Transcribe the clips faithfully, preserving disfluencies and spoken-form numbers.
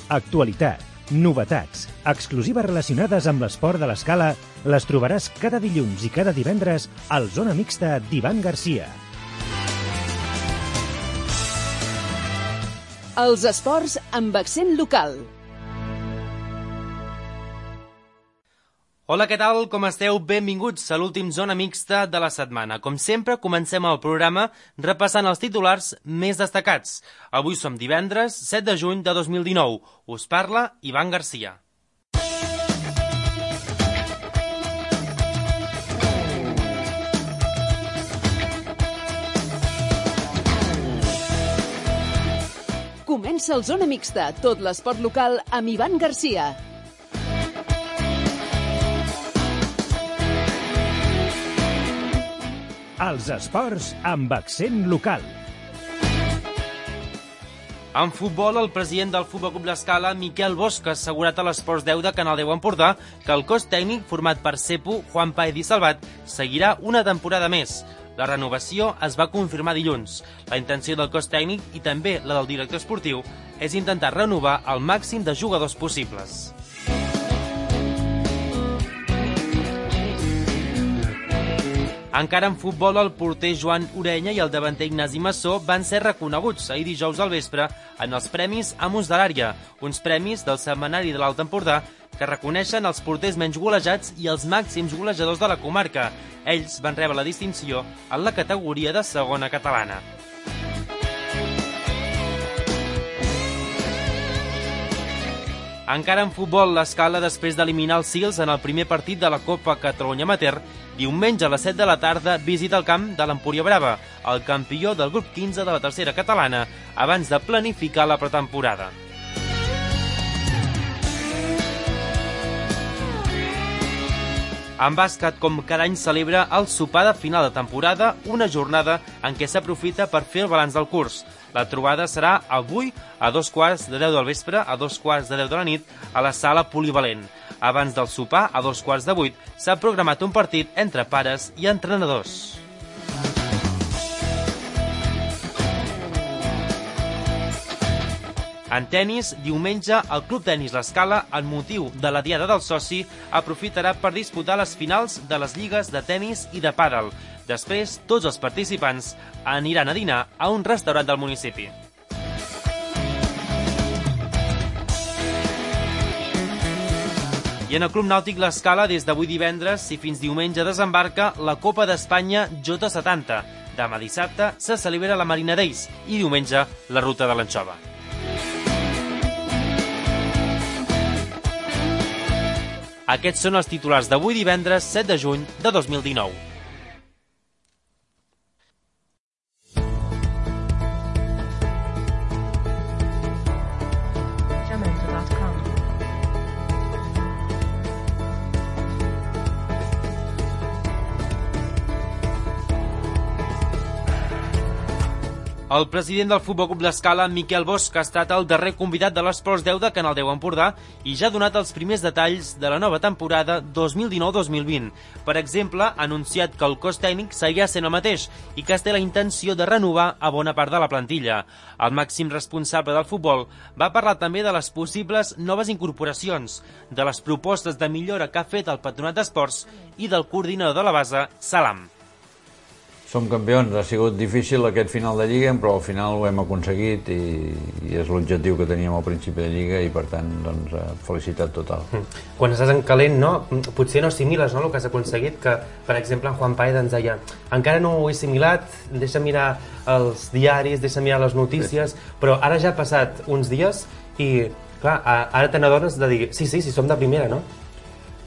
Actualitat, novetats, exclusives relacionades amb l'esport de l'escala les trobaràs cada dilluns i cada divendres al Zona Mixta d'Ivan Garcia. Els esports amb accent local. Hola, què tal? Com esteu? Benvinguts a l'últim Zona Mixta de la setmana. Com sempre, comencem el programa repassant els titulars més destacats. Avui som divendres, set de juny de dos mil dinou. Us parla Ivan Garcia. Comença el Zona Mixta, tot l'esport local amb Ivan Garcia. Els esports amb accent local. En futbol, el president del Futbol Club L'Escala, Miquel Bosch, ha assegurat a l'Esports deu de Canal deu Empordà que el cos tècnic format per Cepu, Juan Paez i Salvat seguirà una temporada més. La renovació es va confirmar dilluns. La intenció del cos tècnic i també la del director esportiu és intentar renovar el màxim de jugadors possibles. Encara en futbol, el porter Joan Orenya i el davanter Ignasi Massó van ser reconeguts ahir dijous al vespre en els Premis Amos de l'Àrea, uns premis del Setmanari de l'Alt Empordà que reconeixen els porters menys golejats i els màxims golejadors de la comarca. Ells van rebre la distinció en la categoria de segona catalana. Encara en futbol, l'Escala, després d'eliminar els Sils en el primer partit de la Copa Catalunya Amateur, diumenge a les set de la tarda visita el camp de l'Empúria Brava, el campió del grup quinze de la tercera catalana, abans de planificar la pretemporada. En bàsquet, com cada any, celebra el sopar de final de temporada, una jornada en què s'aprofita per fer el balanç del curs. La trobada serà avui a dos quarts de deu del vespre, a dos quarts de deu de la nit, a la sala polivalent. Abans del sopar, a dos quarts de vuit, s'ha programat un partit entre pares i entrenadors. En tennis, diumenge, el Club Tenis L'Escala, en motiu de la Diada del Soci, aprofitarà per disputar les finals de les lligues de tenis i de pàdel. Després, tots els participants aniran a dinar a un restaurant del municipi. I en el Club Nàutic L'Escala, des d'avui divendres i fins diumenge desembarca la Copa d'Espanya Jota setanta. Demà dissabte se celebra la Marina Days i diumenge la Ruta de l'Anxova. Aquests són els titulars d'avui divendres, set de juny de dos mil dinou. El president del Futbol Club L'Escala, Miquel Bosch, ha estat el darrer convidat de l'Esports deu de Canal deu Empordà i ja ha donat els primers detalls de la nova temporada dos mil dinou dos mil vint. Per exemple, ha anunciat que el cos tècnic seguirà sent el mateix i que es té la intenció de renovar a bona part de la plantilla. El màxim responsable del futbol va parlar també de les possibles noves incorporacions, de les propostes de millora que ha fet el Patronat d'Esports i del coordinador de la base, Salam. Som campions, ha sigut difícil aquest final de Lliga, però al final ho hem aconseguit i, i és l'objectiu que teníem al principi de Lliga i per tant, doncs, felicitat total. Quan estàs en calent, no? Potser no assimiles, no?, el que has aconseguit, que, per exemple, en Juan Paez ens deia encara no ho he assimilat, deixa mirar els diaris, deixa mirar les notícies, però ara ja ha passat uns dies i, clar, ara te n'adones de dir sí, sí, sí, som de primera, no?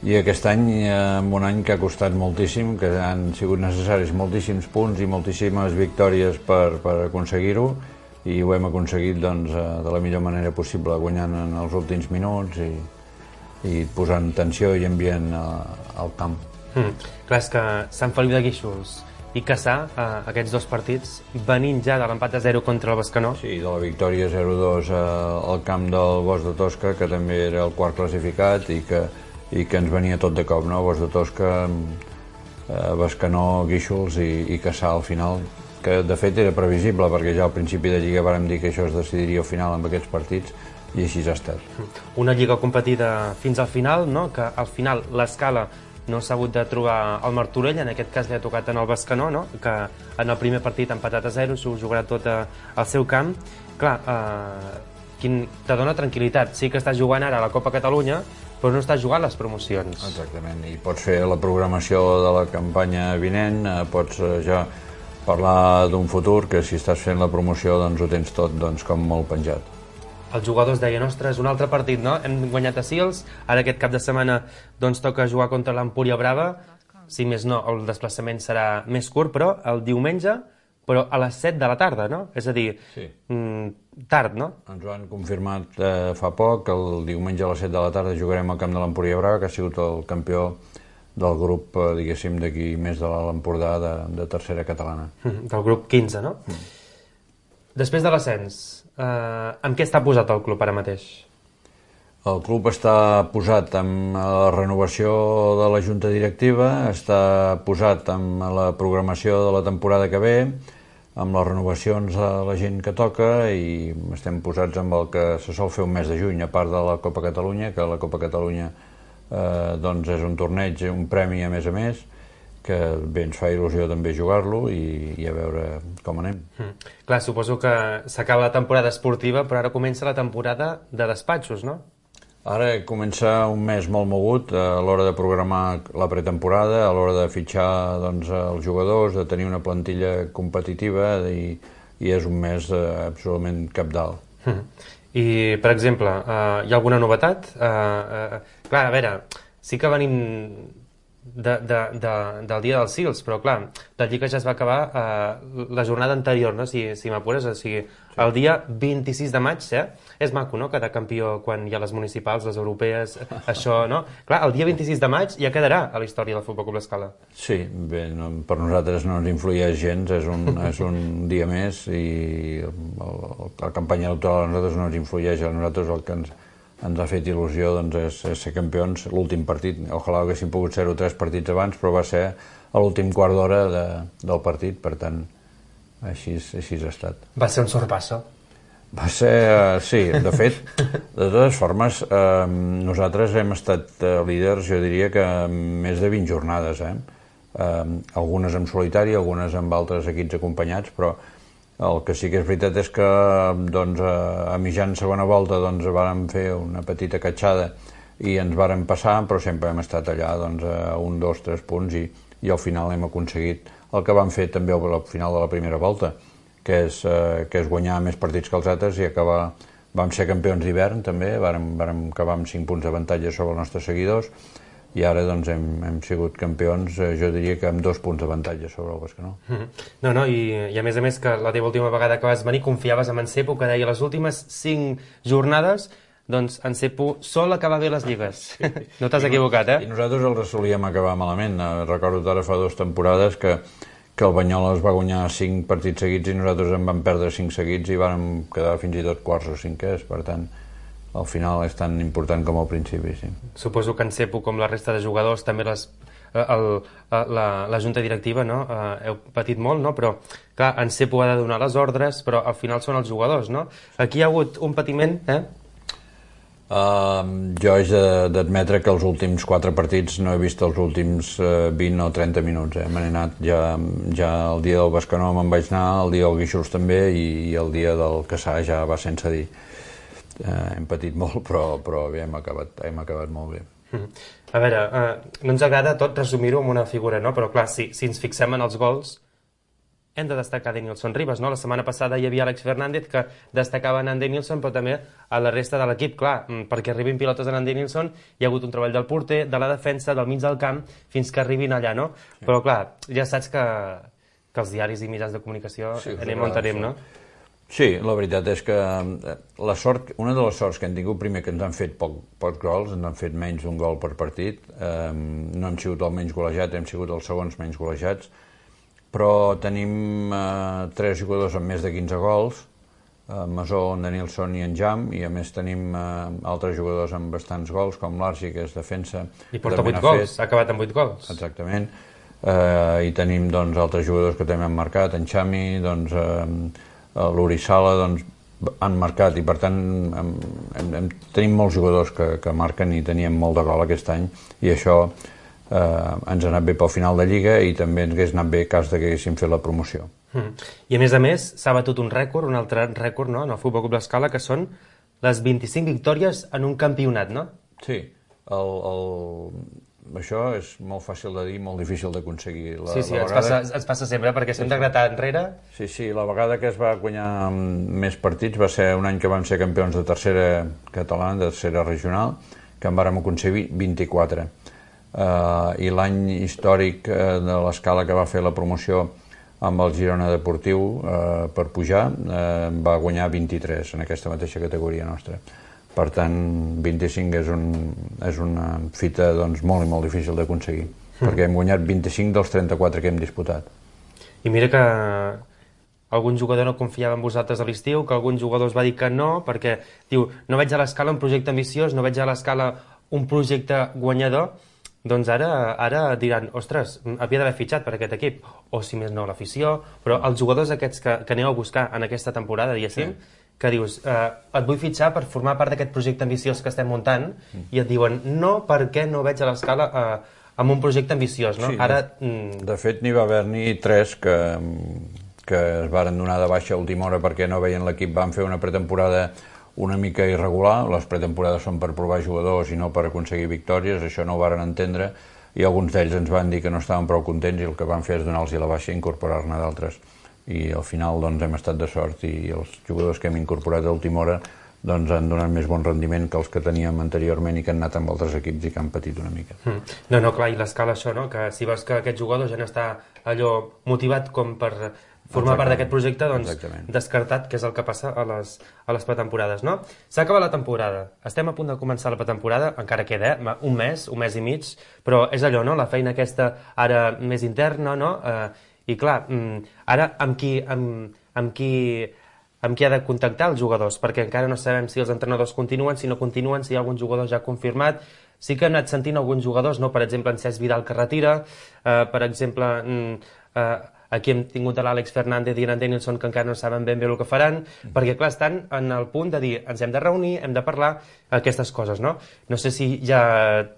I aquest any, en un any que ha costat moltíssim, que han sigut necessaris moltíssims punts i moltíssimes victòries per, per aconseguir-ho, i ho hem aconseguit doncs, de la millor manera possible, guanyant en els últims minuts i, i posant tensió i ambient al camp. Mm. Clar, és que Sant Feliu de Guíxols i Cassà, eh, aquests dos partits, venint ja de l'empat a zero contra el Bescanó. Sí, de la victòria zero dos al camp del Bosch de Tosca, que també era el quart classificat i que i que ens venia tot de cop, no? Bosch de Tosca, eh, Bescanó, Guíxols i, i Cassà al final, que de fet era previsible perquè ja al principi de Lliga vàrem dir que això es decidiria al final amb aquests partits, i així ha estat. Una lliga competida fins al final, no? Que al final l'Escala no s'ha hagut de trobar el Martorell, en aquest cas li ha tocat en el Bescanó, no? Que en el primer partit ha empatat a zero, s'ho jugarà tot al seu camp. Clar, eh, quin, te dona tranquil·litat. Sí que estàs jugant ara a la Copa Catalunya, però no estàs jugant les promocions. Exactament, i pots fer la programació de la campanya vinent, eh, pots eh, ja parlar d'un futur, que si estàs fent la promoció doncs ho tens tot doncs, com molt penjat. Els jugadors deien, ostres, un altre partit, no? Hem guanyat a Sils, ara aquest cap de setmana doncs toca jugar contra l'Empúria Brava, si més no, el desplaçament serà més curt, però el diumenge, però a les set de la tarda, no? És a dir, sí. mm, tard, no? Ens ho han confirmat eh, fa poc, que el diumenge a les set de la tarda jugarem al camp de l'Empúria Brava, que ha sigut el campió del grup, eh, diguéssim, d'aquí més de l'Empordà de, de tercera catalana. Mm, del grup quinze, no? Mm. Després de l'ascens, eh, amb què està posat el club ara mateix? El club està posat amb la renovació de la junta directiva, està posat amb la programació de la temporada que ve, amb les renovacions de la gent que toca, i estem posats amb el que se sol fer un mes de juny, a part de la Copa Catalunya, que la Copa Catalunya eh, doncs és un torneig, un premi a més a més, que bé, ens fa il·lusió també jugar-lo i, i a veure com anem. Mm. Clar, suposo que s'acaba la temporada esportiva, però ara comença la temporada de despatxos, no? Ara comença un mes molt mogut a l'hora de programar la pretemporada, a l'hora de fitxar doncs, els jugadors, de tenir una plantilla competitiva, i, i és un mes eh, absolutament cabdal. Mm. I, per exemple, eh, hi ha alguna novetat? Eh, eh, clar, a veure, sí que venim de, de, de, del dia dels Sils, però clar, la Lliga ja es va acabar eh, la jornada anterior, no? si, si m'apures, o sigui, el dia vint-i-sis de maig, eh? És maco, no?, cada campió quan hi ha les municipals, les europees, això, no? Clar, el dia vint-i-sis de maig ja quedarà a la història del Futbol Club l'Escala. Sí, bé, no, per nosaltres no ens influeix gens, és un, és un dia més, i el, la campanya electoral a nosaltres no ens influeix, a nosaltres el que ens, ens ha fet il·lusió doncs, és, és ser campions. L'últim partit, ojalà haguéssim pogut ser-ho tres partits abans, però va ser a l'últim quart d'hora de, del partit, per tant, així, així ha estat. Va ser un sorpasso? Va ser, uh, sí, de fet, de totes formes, eh, nosaltres hem estat uh, líders, jo diria que més de vint jornades, eh? Eh, algunes en solitari, algunes amb altres equips acompanyats, però el que sí que és veritat és que doncs, a mitjan segona volta doncs, vàrem fer una petita catxada i ens vàrem passar, però sempre hem estat allà doncs, a un, dos, tres punts, i, i al final hem aconseguit el que vam fer també al final de la primera volta, que és, eh, que és guanyar més partits que els altres i acabar. Vam ser campions d'hivern també, vàrem, vàrem acabar amb cinc punts d'avantatge sobre els nostres seguidors, i ara doncs, hem, hem sigut campions, eh, jo diria que amb dos punts d'avantatge sobre el Bescanó. Mm-hmm. No, no, i, i a més a més que la teva última vegada que vas venir confiaves en Encepo, que deia les últimes cinc jornades doncs Encepo sol acabar bé les lligues. Sí. No t'has equivocat, eh? I nosaltres els solíem acabar malament. Recordo ara fa dues temporades que, que el Banyoles va guanyar cinc partits seguits i nosaltres en vam perdre cinc seguits i vam quedar fins i tot quarts o cinquers, per tant, al final és tan important com al principi, sí. Suposo que Encepo, com la resta de jugadors, també les, el, la, la junta directiva, no? Uh, heu patit molt, no? Però, clar, Encepo ha de donar les ordres, però al final són els jugadors, no? Aquí hi ha hagut un patiment, eh? Uh, jo haig d'admetre que els últims quatre partits no he vist els últims uh, vint o trenta minuts, eh? Me n'he anat ja, ja el dia del Bescanó me'n vaig anar, el dia del Guíxols també, i, i el dia del Caçà ja va sense dir. Uh, hem patit molt, però, però bé, hem acabat, hem acabat molt bé. A veure, uh, no ens agrada tot resumir-ho amb una figura, no? Però clar, si, si ens fixem en els gols, hem de destacar Denilson Ribas, no? La setmana passada hi havia Àlex Fernández que destacava en Denilson, però també a la resta de l'equip, clar, perquè arribin pilotes en Denilson hi ha hagut un treball del porter, de la defensa, del mig del camp, fins que arribin allà, no? Sí. Però clar, ja saps que, que els diaris i mitjans de comunicació sí, anem on anem, no? Sí, la veritat és que la sort, una de les sorts que hem tingut, primer que ens han fet poc, pocs gols, ens han fet menys d'un gol per partit, eh, no hem sigut el menys golejat, hem sigut els segons menys golejats, però tenim eh, tres jugadors amb més de quinze gols, eh, Masó, en Denilson i en Jam, i a més tenim eh, altres jugadors amb bastants gols, com l'Arsi, que és defensa. I porta vuit gols, ha acabat amb vuit gols. Exactament, eh, i tenim doncs, altres jugadors que també han marcat, en Xami, doncs, eh, l'Uri Sala, doncs, han marcat i per tant hem, hem, tenim molts jugadors que, que marquen i teníem molt de gol aquest any i això eh, ens ha anat bé pel final de Lliga i també ens hagués anat bé cas que haguéssim fet la promoció. Mm. I a més a més s'ha batut un rècord, un altre rècord, no?, en el Futbol Club L'Escala, que són les vint-i-cinc victòries en un campionat, no? Sí, el, el... això és molt fàcil de dir, molt difícil d'aconseguir. Sí, sí, ens, vegada... passa, ens passa sempre, perquè si hem de gratar enrere... Sí, sí, la vegada que es va guanyar més partits va ser un any que vam ser campions de tercera catalana, de tercera regional, que en vàrem aconseguir vint-i-quatre. Uh, I l'any històric uh, de l'Escala que va fer la promoció amb el Girona Deportiu uh, per pujar, uh, va guanyar vint-i-tres en aquesta mateixa categoria nostra. Per tant, vint-i-cinc és, un, és una fita doncs, molt i molt difícil d'aconseguir, mm. perquè hem guanyat vint-i-cinc dels trenta-quatre que hem disputat. I mira que algun jugador no confiava en vosaltres a l'estiu, que algun jugador es va dir que no, perquè diu, no veig a l'Escala un projecte ambiciós, no veig a l'Escala un projecte guanyador, doncs ara, ara diran, ostres, havia d'haver fitxat per aquest equip, o si més no l'afició, però els jugadors aquests que, que aneu a buscar en aquesta temporada, diguéssim, sí, que dius, eh, et vull fitxar per formar part d'aquest projecte ambiciós que estem muntant, mm. i et diuen, no, perquè no veig a l'Escala eh, amb un projecte ambiciós, no? Sí, Ara, mm... de fet, n'hi va haver-n'hi tres que, que es varen donar de baixa a última hora perquè no veien l'equip, van fer una pretemporada una mica irregular, les pretemporades són per provar jugadors i no per aconseguir victòries, això no ho varen entendre, i alguns d'ells ens van dir que no estaven prou contents i el que van fer és donar-los la baixa i incorporar-ne d'altres. I al final doncs, hem estat de sort i els jugadors que hem incorporat a última hora doncs, han donat més bon rendiment que els que teníem anteriorment i que han anat amb altres equips i que han patit una mica. Mm. No, no, clar, i l'Escala això, no? Que si veus que aquest jugador ja no està allò motivat com per formar part d'aquest projecte, doncs exactament, descartat, que és el que passa a les, a les pretemporades, no? S'ha acabat la temporada, estem a punt de començar la pretemporada, encara queda eh? un mes, un mes i mig, però és allò, no? La feina aquesta ara més interna, no? Eh, I clar, ara amb qui, amb, amb, qui, amb qui ha de contactar els jugadors? Perquè encara no sabem si els entrenadors continuen, si no continuen, si hi ha algun jugador ja confirmat. Sí que hem anat sentint alguns jugadors, no? Per exemple, en Cesc Vidal que retira, eh, per exemple, eh, aquí hem tingut a l'Àlex Fernández i en Danielson que encara no saben ben bé el que faran, mm. perquè clar, estan en el punt de dir ens hem de reunir, hem de parlar aquestes coses, no? No sé si ja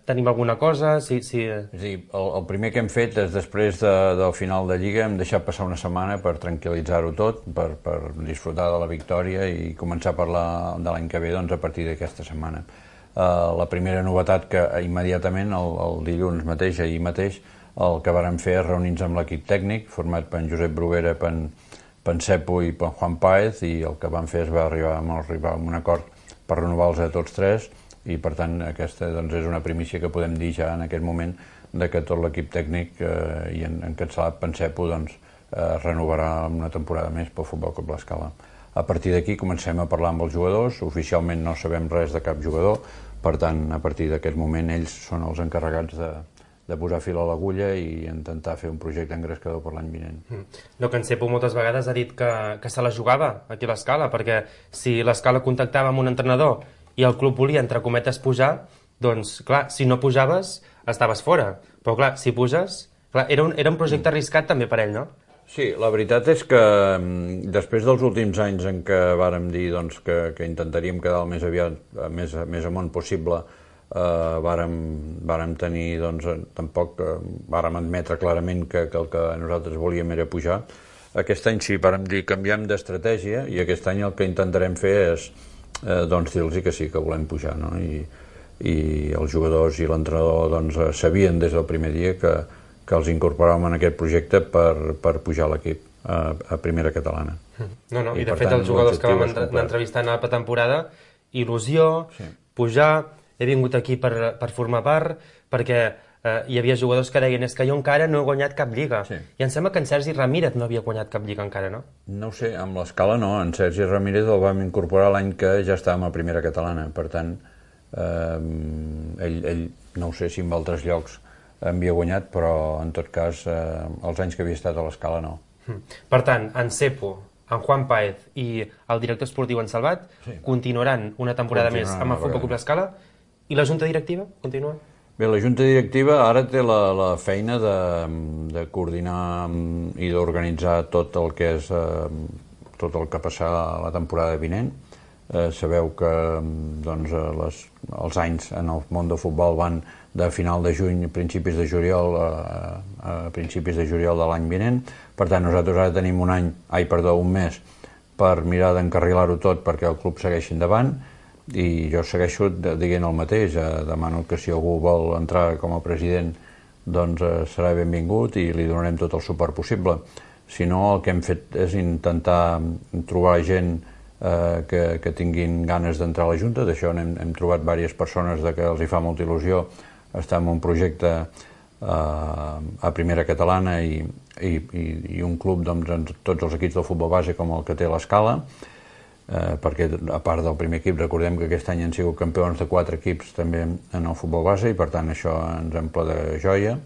tenim alguna cosa, si... si... És a dir, el, el primer que hem fet és després de, del final de Lliga hem deixat passar una setmana per tranquil·litzar-ho tot, per, per disfrutar de la victòria i començar a parlar de l'any que ve doncs, a partir d'aquesta setmana. Uh, la primera novetat que immediatament, el, el dilluns mateix, ahir mateix, el que vàrem fer és reunir-nos amb l'equip tècnic, format per en Josep Bruguera, per en, per en Cepo i per en Juan Páez, i el que vam fer és va arribar, arribar a un acord per renovar-los a tots tres, i per tant aquesta doncs, és una primícia que podem dir ja en aquest moment de que tot l'equip tècnic eh, i en, encapçalat per en Cepo doncs, eh, renovarà una temporada més pel Futbol Club L'Escala. A partir d'aquí comencem a parlar amb els jugadors, oficialment no sabem res de cap jugador, per tant, a partir d'aquest moment ells són els encarregats de de posar fil a l'agulla i intentar fer un projecte engrescador per l'any vinent. Mm. No, que en Cepo moltes vegades ha dit que, que se la jugava aquí a l'Escala, perquè si l'Escala contactava amb un entrenador i el club volia, entre cometes, pujar, doncs, clar, si no pujaves, estaves fora. Però, clar, si puges... Clar, era, un, era un projecte mm. arriscat també per ell, no? Sí, la veritat és que després dels últims anys en què vàrem dir doncs, que, que intentaríem quedar el més aviat, més, més amunt possible, Uh, vàrem, vàrem tenir, doncs, tampoc uh, vàrem admetre clarament que, que el que nosaltres volíem era pujar. Aquest any sí, vàrem dir canviem d'estratègia i aquest any el que intentarem fer és uh, doncs, dir-los que sí, que volem pujar, no? I, i els jugadors i l'entrenador doncs, sabien des del primer dia que, que els incorporàvem en aquest projecte per, per pujar l'equip a, a primera catalana. No, no, i, i de fet els jugadors que vam entre, entrevistar en la pretemporada, il·lusió, sí, pujar... He vingut aquí per, per formar part, perquè eh, hi havia jugadors que deien és que jo encara no he guanyat cap lliga. Sí. I em sembla que en Sergi Ramírez no havia guanyat cap lliga encara, no? No ho sé, amb l'Escala no. En Sergi Ramírez el vam incorporar l'any que ja estàvem a primera catalana. Per tant, eh, ell, ell no ho sé si en altres llocs havia guanyat, però en tot cas eh, els anys que havia estat a l'Escala no. Per tant, en Cepo, en Juan Páez i el director esportiu en Salvat sí, continuaran una temporada més amb el Futbol Club L'Escala. I la junta directiva continua? Bé, la junta directiva ara té la, la feina de, de coordinar i d'organitzar tot el que és eh, tot el que passarà la temporada vinent. Eh, sabeu que doncs, les, els anys en el món del futbol van de final de juny a principis de juliol a, a principis de juliol de l'any vinent. Per tant, nosaltres ara tenim un any, ai, perdó, un mes per mirar d'encarrilar-ho tot perquè el club segueixi endavant, i jo segueixo dient el mateix. Eh, demano que si algú vol entrar com a president doncs eh, serà benvingut i li donarem tot el suport possible. Si no, el que hem fet és intentar trobar gent eh, que, que tinguin ganes d'entrar a la Junta. D'això hem, hem trobat diverses persones de que els hi fa molta il·lusió estar en un projecte eh, a Primera Catalana i, i, i, i un club doncs, en tots els equips del futbol base com el que té l'Escala, eh, perquè a part del primer equip recordem que aquest any han sigut campions de quatre equips també en el futbol base i per tant això ens omple de joia.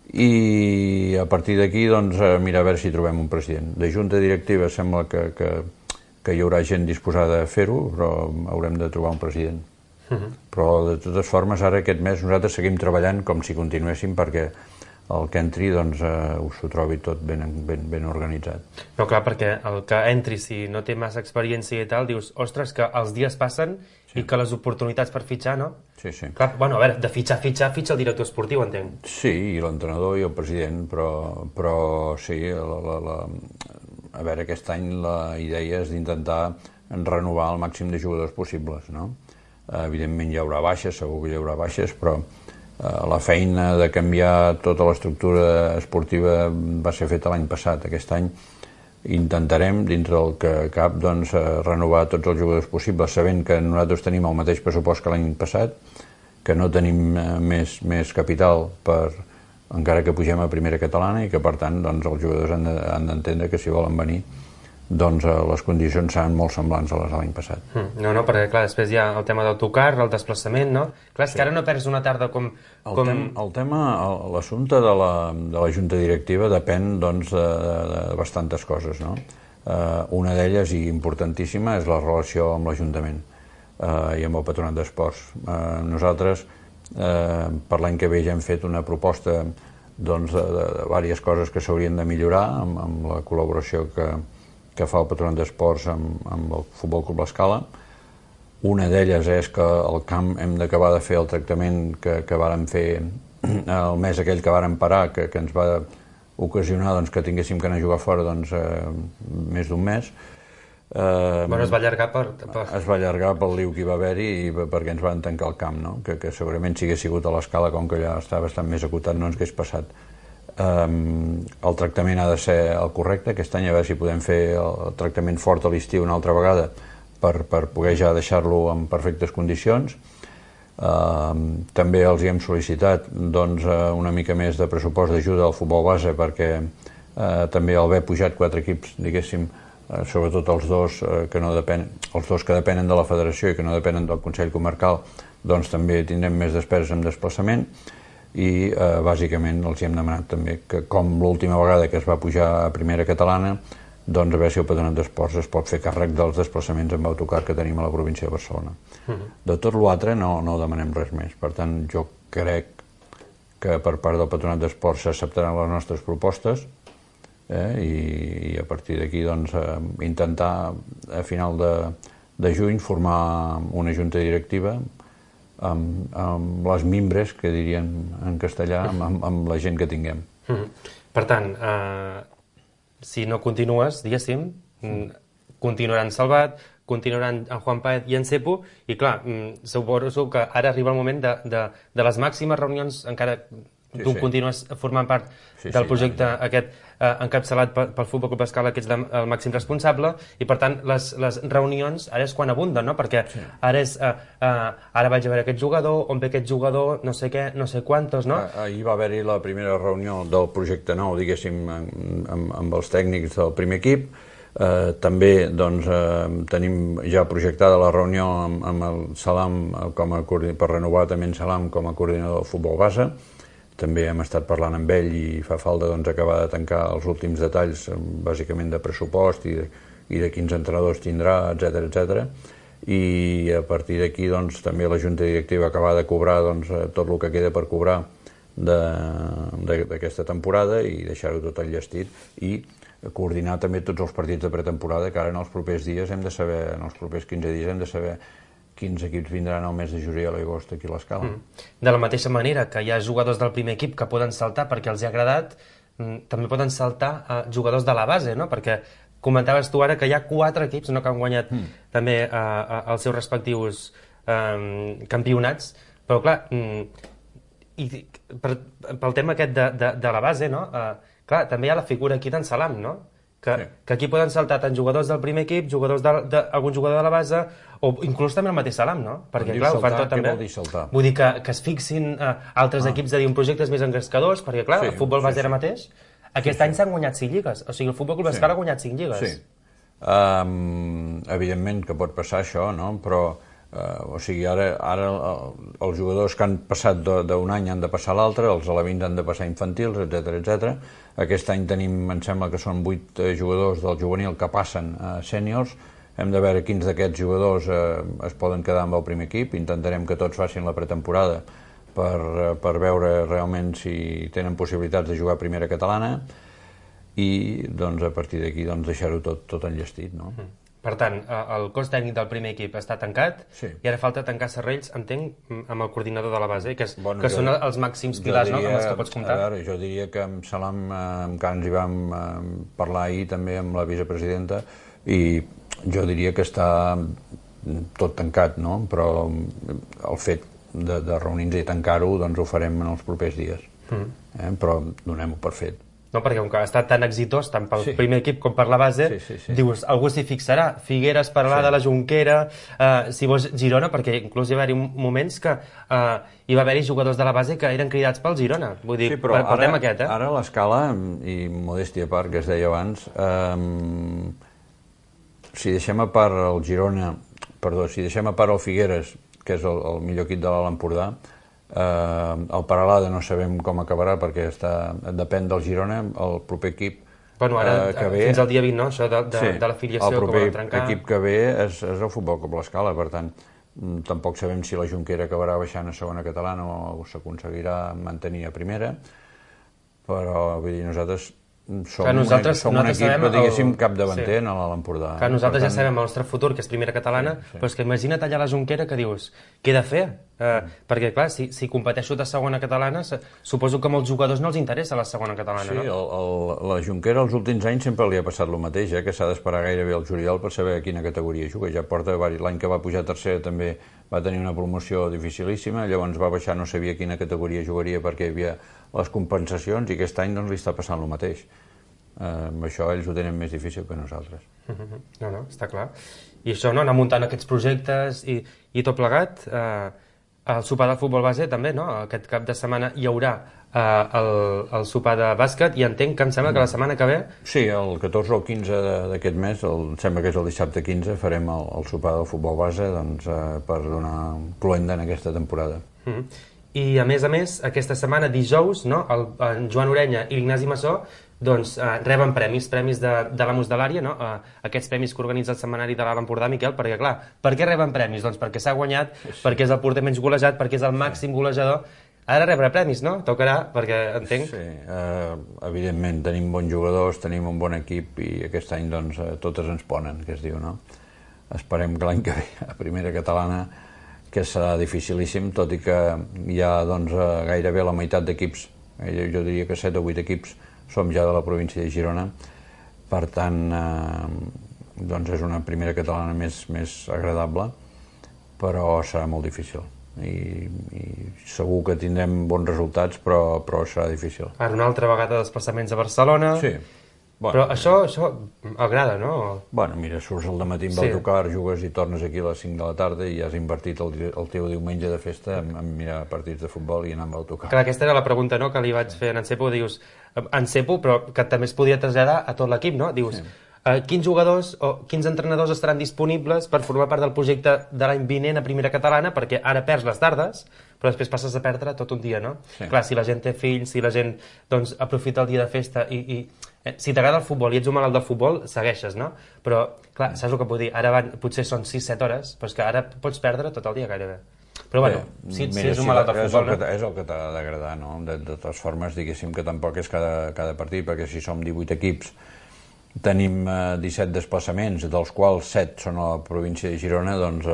I a partir d'aquí doncs, mira a veure si trobem un president. De junta directiva sembla que, que, que hi haurà gent disposada a fer-ho, però haurem de trobar un president. Uh-huh. Però de totes formes ara aquest mes nosaltres seguim treballant com si continuéssim perquè el que entri doncs eh, us ho trobi tot ben, ben, ben organitzat. No, clar, perquè el que entri, si no té massa experiència i tal, dius, ostres, que els dies passen sí. i que les oportunitats per fitxar, no? Sí, sí. Clar, bueno, a veure, de fitxar, fitxar, fitxa el director esportiu, entenc. Sí, i l'entrenador i el president, però, però sí, la, la, la, a veure, aquest any la idea és d'intentar renovar el màxim de jugadors possibles, no? Evidentment hi haurà baixes, segur que hi haurà baixes, però la feina de canviar tota l'estructura esportiva va ser feta l'any passat. Aquest any intentarem, dintre del que cap, doncs, renovar tots els jugadors possibles, sabent que nosaltres tenim el mateix pressupost que l'any passat, que no tenim més, més capital per, encara que pugem a Primera Catalana, i que per tant doncs, els jugadors han d'entendre que si volen venir doncs les condicions seran molt semblants a les de l'any passat. Mm, no, no, perquè clar, després hi ha el tema d'autocar, el desplaçament, no? Clar, és sí. que ara no perds una tarda com... El, com... tem, el tema, l'assumpte de, la, de la Junta Directiva depèn doncs, de, de, de bastantes coses, no? Eh, una d'elles, i importantíssima, és la relació amb l'Ajuntament eh, i amb el Patronat d'Esports. Eh, nosaltres, eh, per l'any que ve ja hem fet una proposta doncs, de, de, de diverses coses que s'haurien de millorar amb, amb la col·laboració que que fa el Patronat d'Esports amb, amb el Futbol Club l'Escala. Una d'elles és que al camp hem d'acabar de fer el tractament que, que vàrem fer el mes aquell que vàrem parar, que, que ens va ocasionar doncs, que tinguéssim que anar a jugar fora doncs, eh, més d'un mes. Eh, bueno, es va allargar per, per... Es va allargar pel liu que hi va haver-hi i perquè ens van tancar el camp, no? que, que segurament si hagués sigut a l'Escala, com que allà està bastant més acotat, no ens hagués passat. Um, el tractament ha de ser el correcte. Aquest any a veure si podem fer el tractament fort a l'estiu una altra vegada per, per poder ja deixar-lo en perfectes condicions. Um, també els hi hem sol·licitat doncs, una mica més de pressupost d'ajuda al futbol base perquè uh, també al haver pujat quatre equips, diguéssim, uh, sobretot els dos, uh, que no depenen, els dos que depenen de la federació i que no depenen del Consell Comarcal, doncs també tindrem més despeses en desplaçament. I eh, bàsicament els hem demanat també que com l'última vegada que es va pujar a Primera Catalana doncs a veure si el Patronat d'Esports es pot fer càrrec dels desplaçaments amb autocar que tenim a la província de Barcelona. Uh-huh. De tot l'altre no, no demanem res més, per tant jo crec que per part del Patronat d'Esports s'acceptaran les nostres propostes eh, i, i a partir d'aquí doncs, eh, intentar a final de, de juny formar una junta directiva Amb, amb les mimbres, que dirien en castellà, amb, amb, amb la gent que tinguem. Mm-hmm. Per tant, eh, si no continues, diguéssim, continuaran Salvat, continuaran en Juan Páez i en Cepo, i clar, suposo que ara arriba el moment de, de, de les màximes reunions, encara sí, tu sí. continues formant part sí, del projecte sí, aquest eh, encapçalat pel, pel Futbol Club Escala, que ets el màxim responsable, i per tant les, les reunions ara és quan abunden, no? Perquè sí. ara és eh, eh, ara vaig a veure aquest jugador, on ve aquest jugador, no sé què, no sé quantos, no? Ahir va haver-hi la primera reunió del projecte nou, diguéssim, amb, amb, amb els tècnics del primer equip. Eh, també doncs, eh, tenim ja projectada la reunió amb, amb el Salam com a, per renovar també en Salam com a coordinador del futbol base. També hem estat parlant amb ell i fa falta doncs, acabar de tancar els últims detalls, bàsicament de pressupost i de, i de quins entrenadors tindrà, etcètera, etcètera. I a partir d'aquí doncs, també la Junta Directiva acabar de cobrar doncs, tot el que queda per cobrar d'aquesta temporada i deixar-ho tot enllestit i coordinar també tots els partits de pretemporada, que ara en els propers dies hem de saber, en els propers quinze dies hem de saber quins equips vindran al mes de juliol i agost aquí a l'Escala. Mm. De la mateixa manera que hi ha jugadors del primer equip que poden saltar perquè els ha agradat, també poden saltar a jugadors de la base, no? Perquè comentaves tu ara que hi ha quatre equips, no?, que han guanyat mm. també a, a, els seus respectius um, campionats, però clar, mm, i per, pel tema aquest de, de, de la base, no? Uh, clar, també hi ha la figura aquí d'en Salam, no? Que, sí. que aquí poden saltar tant jugadors del primer equip, jugadors de, de, algun jugador de la base, o inclús també el mateix Salam, no? Perquè, clar, saltar, ho fan tot també. Què vol dir saltar? Vull dir que, que es fixin uh, altres ah. equips de dir, projectes més engrescadors, perquè, clar, sí, el futbol base sí, ara mateix, aquest sí, any s'han sí. guanyat cinc lligues. O sigui, el Futbol Club Escala sí. ha guanyat cinc lligues. Sí. Um, evidentment que pot passar això, no? Però, uh, o sigui, ara, ara els jugadors que han passat d'un any han de passar a l'altre, els alevins han de passar infantils, etcètera, etcètera. Aquest any tenim, em sembla que són vuit eh, jugadors del juvenil que passen a sèniors. Hem de veure quins d'aquests jugadors eh, es poden quedar amb el primer equip. Intentarem que tots facin la pretemporada per, eh, per veure realment si tenen possibilitats de jugar a primera catalana i doncs, a partir d'aquí doncs, deixar-ho tot, tot enllestit. No? Mm. Per tant, el cos tècnic del primer equip està tancat sí. i ara falta tancar serrells, entenc, amb el coordinador de la base, que, és, bueno, que jo, són els màxims pilars, diria, no?, amb els que pots comptar. A veure, jo diria que amb Salam eh, encara ens hi vam eh, parlar ahir també amb la vicepresidenta i jo diria que està tot tancat, no? Però el fet de, de reunir-nos i tancar-ho doncs ho farem en els propers dies. Mm. Eh? Però donem-ho per fet. No, perquè com que ha estat tan exitós, tant pel sí. primer equip com per la base, sí, sí, sí. dius, algú s'hi fixarà. Figueres parlar sí. de la Jonquera, eh, si vols Girona, perquè inclús hi va haver moments que eh, hi va haver-hi jugadors de la base que eren cridats pel Girona. Vull dir, sí, però per, ara, aquest, eh? ara l'Escala, i modèstia a part, que es deia abans, eh, si deixem a part el Girona, perdó, si deixem a part el Figueres, que és el, el millor equip de l'Alt Empordà, Uh, el Peralada no sabem com acabarà perquè està, depèn del Girona, el proper equip bueno, ara, uh, que ve, fins al dia vint, no? Això de, de, sí, de l'afiliació que volen trencar. El proper equip que ve és, és el Futbol Club l'Escala, per tant tampoc sabem si la Jonquera acabarà baixant a segona catalana o s'aconseguirà mantenir a primera, però vull dir, nosaltres som, nosaltres, un, som un equip, el... diguéssim, capdavanter sí. a l'Empordà. Que nosaltres tant... ja sabem el nostre futur, que és primera catalana, sí, sí. però és que imagina't allà la Jonquera que dius, què he de fer? Uh, mm. Perquè, clar, si, si competeixo de segona catalana, suposo que a molts jugadors no els interessa la segona catalana, sí, no? Sí, el, el, la Jonquera els últims anys sempre li ha passat el mateix, eh, que s'ha d'esperar gairebé el juliol per saber a quina categoria juga. Ja porta l'any que va pujar a tercera també va tenir una promoció dificilíssima, llavors va baixar, no sabia quina categoria jugaria perquè hi havia les compensacions i aquest any doncs, li està passant el mateix. Uh, amb això ells ho tenen més difícil que nosaltres. Uh-huh. No, no, està clar. I això, no, anar muntant aquests projectes i, i tot plegat, eh, el sopar del futbol base també, no? Aquest cap de setmana hi haurà eh, el, el sopar de bàsquet i entenc que em sembla que la setmana que ve... Sí, el catorze o quinze d'aquest mes, el, em sembla que és el dissabte quinze, farem el, el sopar del futbol base doncs, eh, per donar cloenda en aquesta temporada. Uh-huh. I a més a més, aquesta setmana, dijous, no? el, en Joan Orenya i l'Ignasi Massó doncs eh, reben premis, premis de, de l'Amos de l'àrea, no? Eh, aquests premis que organitza el setmanari de l'Alt Empordà, Miquel, perquè clar, per què reben premis? Doncs perquè s'ha guanyat, sí. perquè és el porter menys golejat, perquè és el màxim golejador. Ara rebre premis, no? Tocarà, perquè entenc... Sí, eh, evidentment, tenim bons jugadors, tenim un bon equip i aquest any doncs totes ens ponen, que es diu, no? Esperem que l'any que ve a primera catalana, que serà dificilíssim, tot i que hi ha doncs gairebé la meitat d'equips, jo diria que set o vuit equips som ja de la província de Girona, per tant eh, doncs és una primera catalana més, més agradable, però serà molt difícil i, i segur que tindrem bons resultats, però, però serà difícil. Ara una altra vegada desplaçaments a Barcelona, sí. Bueno, però això, això agrada, no? Bueno, mira, surts al dematí amb sí. autocar, jugues i tornes aquí a les cinc de la tarda i has invertit el, el teu diumenge de festa en, en mirar partits de futbol i anar amb autocar. Clar, aquesta era la pregunta, no?, que li vaig fer a en Cepo, dius, en Cepo, però que també es podia traslladar a tot l'equip, no? Dius, sí. eh, quins jugadors o quins entrenadors estaran disponibles per formar part del projecte de l'any vinent a primera catalana, perquè ara perds les tardes, però després passes a perdre tot un dia, no? Sí. Clar, si la gent té fills, si la gent doncs, aprofita el dia de festa i... i eh, si t'agrada el futbol i ets un malalt del futbol, segueixes, no? Però, clar, saps el que puc dir? Ara van, potser són sis set hores, però és que ara pots perdre tot el dia gairebé. Però, bueno, Bé, si, mira, si ets un malalt del futbol... És el, no? és el que t'ha d'agradar, no? De, de totes formes, diguéssim que tampoc és cada, cada partit, perquè si som divuit equips tenim disset desplaçaments, dels quals set són a la província de Girona, doncs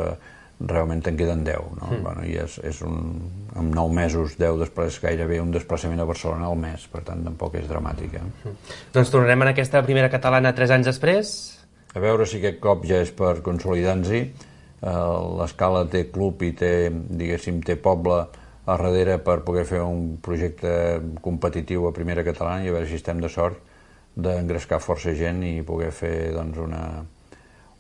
realment en queden deu. No? Mm. Bueno, i és, és un, en nou mesos, deu després, gairebé un desplaçament a Barcelona al mes, per tant tampoc és dramàtic. Eh? Mm. Doncs tornarem en aquesta primera catalana tres anys després. A veure si aquest cop ja és per consolidar-nos-hi. L'Escala té club i té, diguéssim, té poble a darrere per poder fer un projecte competitiu a primera catalana i a veure si estem de sort d'engrescar força gent i poder fer doncs, una,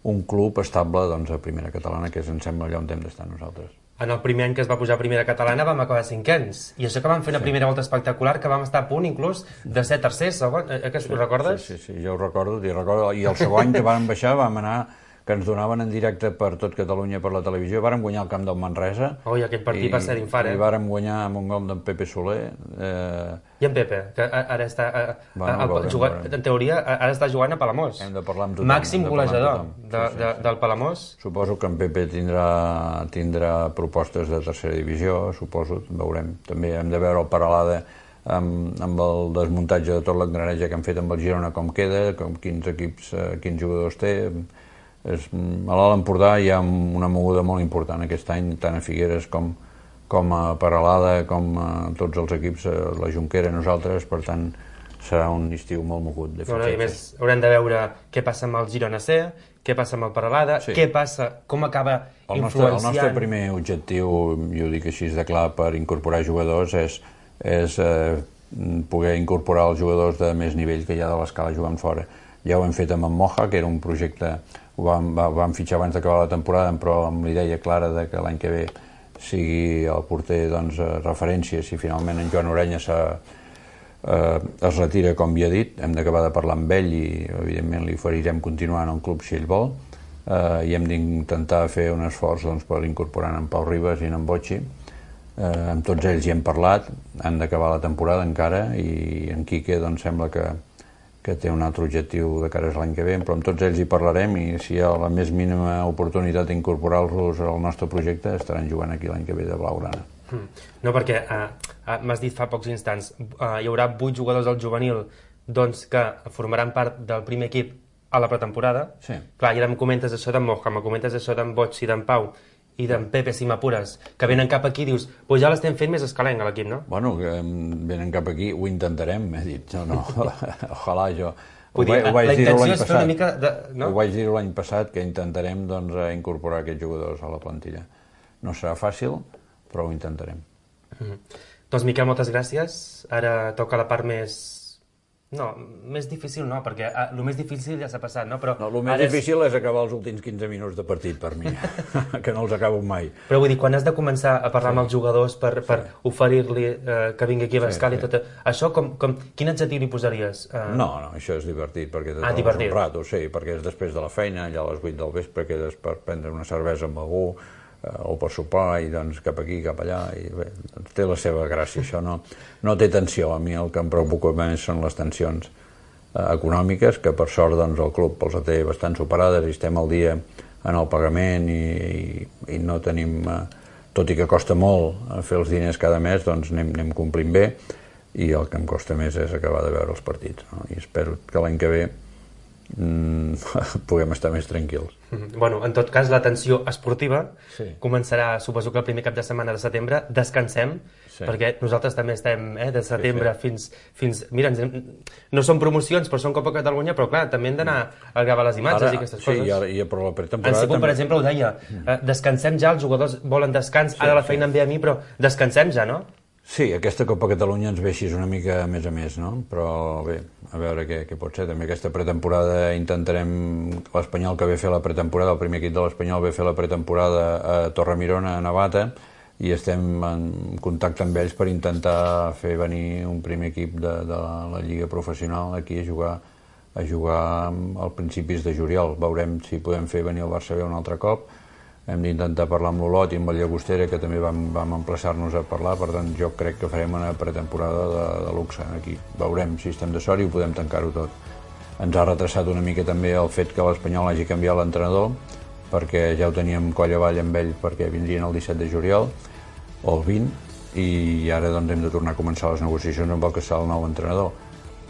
un club estable doncs, a primera catalana, que em sembla allà on hem d'estar nosaltres. En el primer any que es va pujar a primera catalana vam acabar cinquens, i això que vam fer una sí. primera volta espectacular, que vam estar a punt inclús de ser tercers, segon, eh, que ho recordes? Sí, sí, sí, jo ho recordo, i, recordo, i el segon any que vam baixar vam anar, que ens donaven en directe per tot Catalunya per la televisió, vàrem guanyar el camp del Manresa. Oh, i aquest partit i, va ser d'infart, eh? I vàrem guanyar amb un gol d'en Pepe Soler. Eh... I en Pepe, que ara està... A, bueno, a, a, veurem, jugar, veurem. En teoria, ara està jugant a Palamós. Hem de parlar amb tothom. Màxim golejador de, de, sí, sí, de, sí. del Palamós. Suposo que en Pepe tindrà, tindrà propostes de tercera divisió, suposo, veurem. També hem de veure el Paralada amb, amb el desmuntatge de tot l'engranatge que han fet amb el Girona, com queda, com quins equips, quins jugadors té. És, a l'Alt Empordà hi ha una moguda molt important aquest any, tant a Figueres com, com a Peralada, com a tots els equips, la Jonquera, nosaltres, per tant serà un estiu molt mogut. De bueno, I més haurem de veure què passa amb el Girona C, què passa amb el Peralada, sí. què passa, com acaba el influenciant... Nostre, el nostre primer objectiu, jo ho dic així de clar, per incorporar jugadors és, és eh, poder incorporar els jugadors de més nivell que hi ha de l'Escala jugant fora. Ja ho hem fet amb en Moja, que era un projecte... Ho vam, vam fitxar abans d'acabar la temporada, però amb la idea clara de que l'any que ve sigui el porter doncs, referència. Si finalment en Joan Orenya eh, es retira, com havia dit, hem d'acabar de parlar amb ell i evidentment li oferirem continuar en el club si ell vol, eh, i hem d'intentar fer un esforç doncs, per incorporar en Pau Ribas i en Botxi. Eh, amb tots ells hi hem parlat, han d'acabar la temporada encara, i en Quique doncs, sembla que que té un altre objectiu de cara a l'any que ve, però amb tots ells hi parlarem i si hi ha la més mínima oportunitat d'incorporar-los al nostre projecte estaran jugant aquí l'any que ve de blaugrana. No, perquè uh, uh, m'has dit fa pocs instants, uh, hi haurà vuit jugadors del juvenil doncs, que formaran part del primer equip a la pretemporada. Sí. Clar, i ara em comentes això d'en Moja, em comentes això d'en Boig i d'en Pau, i d'en Pepe, si m'apures, que venen cap aquí, dius, pues ja l'estem fent més escalenc a l'equip, no? Bueno, que venen cap aquí, ho intentarem, he dit, no, no, ojalà jo... Vull dir, ho vaig la intenció és fer una mica de... No? Ho vaig dir l'any passat, que intentarem doncs, incorporar aquests jugadors a la plantilla. No serà fàcil, però ho intentarem. Mm-hmm. Doncs, Miquel, moltes gràcies. Ara toca la part més... No, més difícil no, perquè ah, el més difícil ja s'ha passat, no? Però no, el més difícil és... és acabar els últims quinze minuts de partit, per mi, que no els acabo mai. Però vull dir, quan has de començar a parlar sí. amb els jugadors per, per sí. oferir-li eh, que vingui aquí a l'Escala sí, sí. i tot... Això, com, com, quin adjectiu li posaries? Eh... No, no, això és divertit, perquè ah, divertit. un rato, sí, perquè és després de la feina, ja a les vuit del vespre, que és per prendre una cervesa amb algú, o per sopar, i doncs cap aquí, cap allà, i bé, doncs té la seva gràcia, això no, no té tensió. A mi el que em preocupa més són les tensions eh, econòmiques, que per sort doncs, el club els té bastant superades i estem al dia en el pagament i, i, i no tenim, eh, tot i que costa molt fer els diners cada mes, doncs anem, anem complint bé, i el que em costa més és acabar de veure els partits, no? I espero que l'any que ve Mm, puguem estar més tranquils. Mm-hmm. Bueno, en tot cas, la tensió esportiva sí. començarà, suposo que el primer cap de setmana de setembre. Descansem, sí. perquè nosaltres també estem eh, de setembre sí, sí. fins... fins mira, ens, no són promocions, però són Copa Catalunya, però clar, també hem d'anar a gravar les imatges ara, i aquestes sí, coses. Sí, i, i però la pretemporada... En Segon, també... per exemple, ho deia, eh, descansem ja, els jugadors volen descans, sí, ara la feina sí. em ve a mi, però descansem ja, no? Sí, aquesta Copa Catalunya ens ve així una mica a més a més, no? Però bé, a veure què, què pot ser. També aquesta pretemporada intentarem... L'Espanyol que ve fer la pretemporada, el primer equip de l'Espanyol ve fer la pretemporada a Torremirona, a Navata, i estem en contacte amb ells per intentar fer venir un primer equip de, de la, la Lliga Professional aquí a jugar, a jugar als principis de juliol. Veurem si podem fer venir el Barça B un altre cop. Hem d'intentar parlar amb l'Olot i amb el Llagostera, que també vam, vam emplaçar-nos a parlar, per tant jo crec que farem una pretemporada de, de luxe aquí. Veurem si estem de sort i ho podem tancar-ho tot. Ens ha retrasat una mica també el fet que l'Espanyol hagi canviat l'entrenador, perquè ja ho teníem coll avall amb ell perquè vindrien el disset de juliol, o el vint, i ara doncs hem de tornar a començar les negociacions amb el que serà el nou entrenador.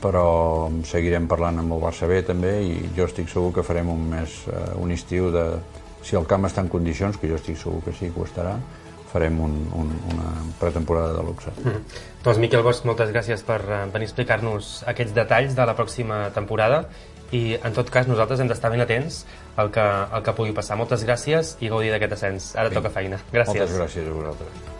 però seguirem parlant amb el Barça B també, i jo estic segur que farem un mes, un estiu de... Si el camp està en condicions, que jo estic segur que sí que ho estarà, farem un, un, una pretemporada de luxe. Mm. Doncs Miquel Bosch, moltes gràcies per venir a explicar-nos aquests detalls de la pròxima temporada, i en tot cas nosaltres hem d'estar ben atents al que, al que pugui passar. Moltes gràcies i gaudir d'aquest ascens. Ara sí. Toca feina. Gràcies. Moltes gràcies a vosaltres.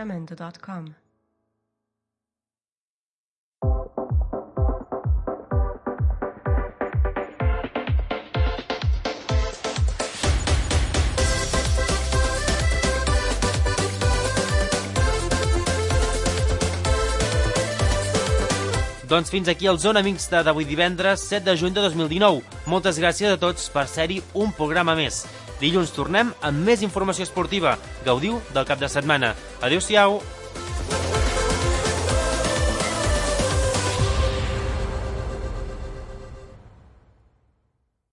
jamendo dot com Doncs fins aquí el Zona Mixta d'avui divendres set de juny de dos mil dinou. Moltes gràcies a tots per ser-hi un programa més. Dilluns tornem amb més informació esportiva. Gaudiu del cap de setmana. Adéu-siau!